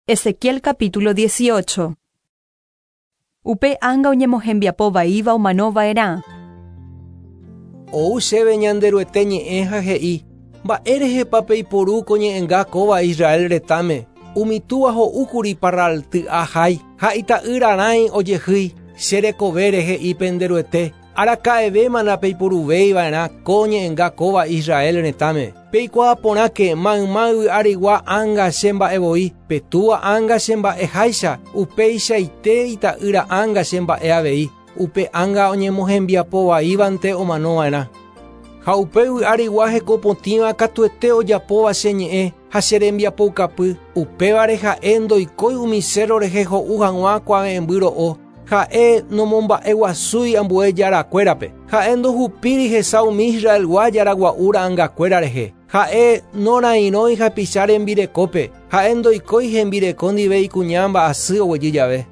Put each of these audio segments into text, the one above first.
Ezequiel capítulo 18. Upe ánga oñemohembiapo vaíva omano va'erã. Ou chéve Ñanderuete ñe'ẽ ha he'i, Mba'érehepa peiporu ko ñe'ẽnga kóva Israel retãme, Umi túva ho'úkuri parralty'a hái, ha ita'ýra rãi ojehýi, che rekovére he'i pende Ruete, Araka'evéma ndapeiporuvéi va'erã ko ñe'ẽnga kóva Israel retãme. Peikuaa porãke mayma yvy arigua ánga che mba'e voi, pe túva ánga che mba'e háicha, upeichaite ita'ýra ánga che mba'e avei, upe ánga oñemohembiapo vaívante omano va'erã. Ha upe yvy arigua heko potĩva katuete ojapóva che ñe'ẽ ha che rembiapoukapy, upévare ha'e ndoikói umi cérro rehe ho'u hag̃ua kuave'ẽmby ro'o, Ha'e nomomba'eguasúi ambue jarakuérape. Ha'e ndohupíri hesa umi Israelgua jaragua'u ra'angakuéra rehe. Ha'e norairõi hapicha rembirekópe. Ha'e ndoikói hembireko ndive ikuña mba'asy oguejy jave.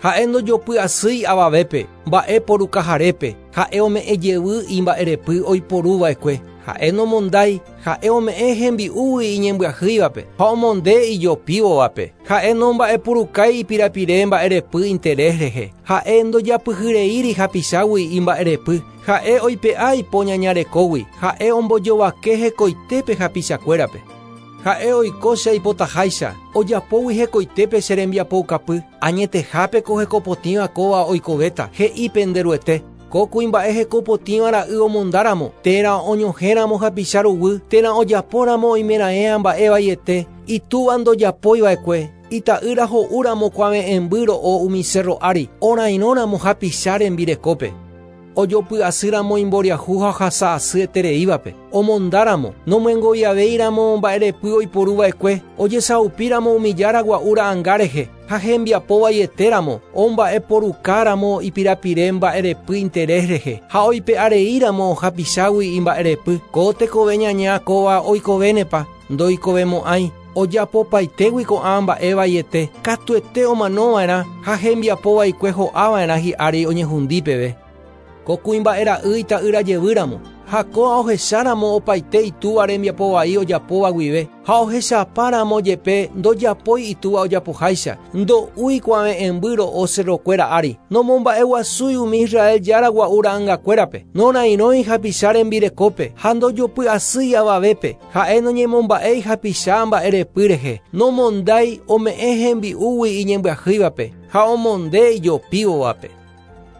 Ha'e ndojopy'asýi avavépe, mba'e porukaharépe. Ha'e ome'ẽ jevy imba'erepy oiporu va'ekue. Ha'e nomondái, ha'e ome'ẽ hembi'úgui iñembyahýivape ha omonde ijopívovape. Ha'e nomba'epurukái ipirapire mba'erepy interés rehe. Ha'e ndojapyhyreíri hapichágui imba'erepy. Ha'e oipe'a ipo ñaña rekógui. Ha'e ombojovake hekoitépe hapichakuérape. Ha'e oiko che aipotaháicha, ojapógui hekoitépe che rembiapoukapy. Añetehápe ko hekopotĩva kóva oikovéta, he'i pende Ruete. Ko kuimba'e heko potĩva ra'y omondáramo, térã oñohẽramo hapicha ruguy, térã ojapóramo oimeraẽa mba'e vaiete, itúva ndojapói va'ekue, ita'ýra ho'úramo kuave'ẽmby ro'o umi sérro ári, orairõramo hapicha rembirekópe. Ojopy asýramo imboriahu ha ohasa asy etereívape, omondáramo, nomyengoviavéiramo mba'erepy oiporu va'ekue, ojesaupíramo umi jára gua'u ra'anga rehe, ha hembiapo vaietéramo, omba'eporukáramo ipirapire mba'erepy interés rehe, ha oipe'areíramo hapichágui imba'erepy, ko tekove ñaña kóva oikovénepa? Ndoikovemo'ãi. Ojapopaitégui ko'ã mba'e vaiete, katuete omanova'erã ha hembiapo vaikue ho'ava'erã hi'ári oñehundi peve. Ko kuimba'e ra'y ita'ýra jevýramo, ha kóa ohecháramo opaite itúva rembiapo vai ojapóva guive, ha ohechapáramo jepe ndojapói itúva ojapoháicha, ndo'úi kuave'ẽmby ro'o cerrokuéra ári, nomomba'eguasúi umi Israel jára gua'u ra'angakuérape, norairõi hapicha rembirekópe, ha ndojopy'asýi avavépe, ha'e noñemomba'éi hapicha mba'erepy rehe, nomondái, ome'ẽ hembi'úgui iñembyahýivape, ha omonde ijopívovape.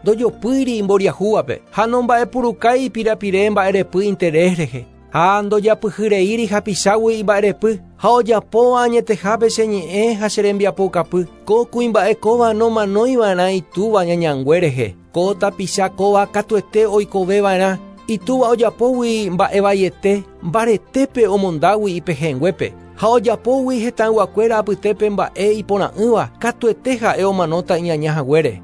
Ndojopýiri imboriahúvape ha nomba'epurukái ipirapire mba'erepy interés rehe, ha ndojapyhyreíri hapichágui imba'erepy, ha ojapóva añetehápe che ñe'ẽ ha che rembiapoukapy, ko kuimba'e kóva nomanoiva'erã itúva ñañangue rehe, ko tapicha kóva katuete oikoveva'erã, itúva ojapógui mba'evaiete, mbaretépe omondágui ipehẽnguépe, ha ojapógui hetãyguakuéra apytépe mba'e iporã'ỹva, katuete ha'e omanóta iñaña haguére.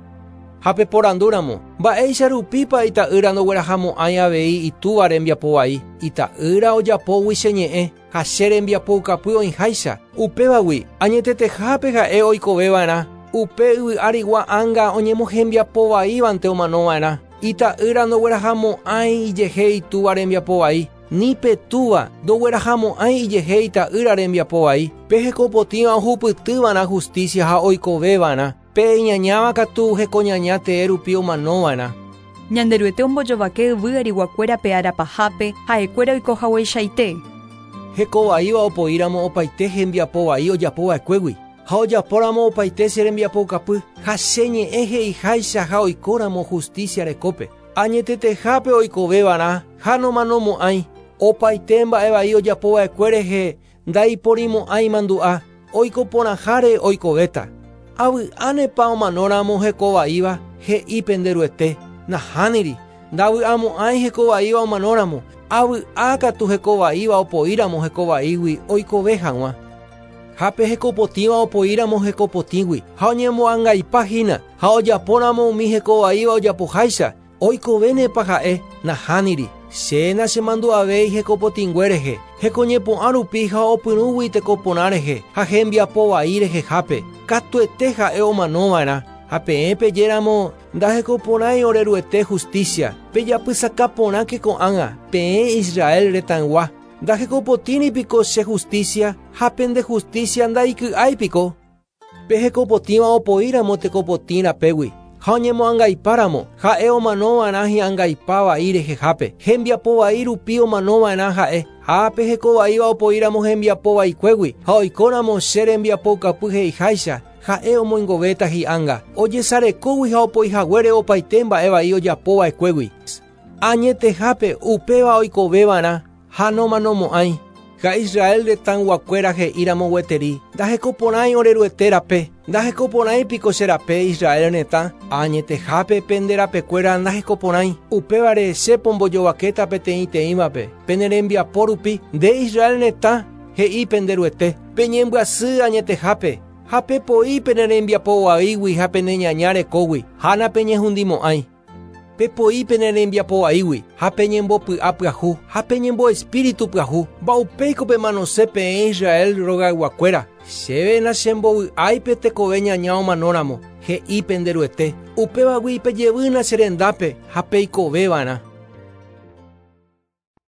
Ha peporandúramo, Mba'éicha rupípa ita'ýra ndoguerahamo'ãi avei itúva rembiapo vai, ita'ýra ojapógui che ñe'ẽ ha che rembiapoukapy oĩháicha, upévagui añetetehápe ha'e oikove va'erã, upe yvy arigua ánga oñemohembiapo vaívante omano va'erã, ita'ýra ndoguerahamo'ãi ijehe itúva rembiapo vai, ni pe túva ndoguerahamo'ãi ijehe ita'ýra rembiapo vai, pe hekopotĩva ohupyty va'erã justícia ha oikove va'erã. Pe iñañáva katu hekoñaña tee rupi omanova'erã. Ñanderuete ombojovake yvy ariguakuérape ára pahápe, ha'ekuéra oiko hagueichaite. Heko vaíva opoíramo opaite hembiapo vai ojapo va'ekuégui, ha ojapóramo opaite che rembiapoukapy, ha che ñe'ẽ he'iháicha ha oikóramo justícia rekópe, añetetehápe oikoveva'erã ha nomanomo'ãi, opaite mba'e vai ojapo va'ekue rehe Ndaiporimo'ãi mandu'a, oiko porãháre oikovéta. Avy'ánepa omanóramo heko vaíva, he'i pende Ruete. Nahániri, ndavy'amo'ãi heko vaíva omanóramo, avy'a katu heko vaíva opoíramo heko vaígui oikove hag̃ua. Ha pe heko potĩva opoíramo heko potĩgui, ha oñemoangaipa hína, ha ojapóramo umi heko vaíva ojapoháicha, Oikovénepa ha'e? Nahániri. Che nachemandu'avéi hekopotĩngue rehe, hekoñepu'ã rupi ha opyrũgui teko porã rehe ha hembiapo vai rehehápe, katuete ha'e omanova'erã. Ha peẽ peje ramo, Ndahekoporãi ore Ruete justícia, pejapysaka porãke ko'ág̃a, peẽ Israel retãygua. Ndahekopotĩri piko che justícia ha pende justícia ndaiky'ái piko? Pe hekopotĩva opoíramo tekopotĩ rapégui ha oñemoangaipáramo, ha'e omanova'erã hi'angaipa vai rehehápe. Hembiapo vai rupi omanova'erã ha'e. Ha pe hekovaíva opoíramo hembiapo vaikuégui ha oikóramo che rembiapoukapy he'iháicha, ha'e omoingovéta hi'ánga. Ojesarekógui ha opoihaguére opaite mba'e vai ojapova'ekuégui. Añetehápe upéva oikoveva'erã ha nomanomo'ãi. Ha Israel retãyguakuéra he'íramo gueteri, Ndahekoporãi ore Ruete rape, ndahekoporãi piko che rape Israel retã? Añetehápe pende rapekuéra ndahekoporãi, upévare che pombojovakéta peteĩteĩvape, pene rembiapo rupi, nde Israel retã, he'i pende Ruete, peñembyasy añetehápe, ha pepoi pene rembiapo vaígui ha pene ñaña rekógui, ha napeñehundimo'ãi. Pepoi pene rembiapo vaígui, ha peñembopy'a pyahu, ha peñemboespíritu pyahu. Mba'upéiko pemanose peẽ Israel rogayguakuéra, chéve nachembovy'ái pe tekove ñaña omanóramo, he'i pende Ruete. Upévagui pejevýna che rendápe ha peikoveva'erã.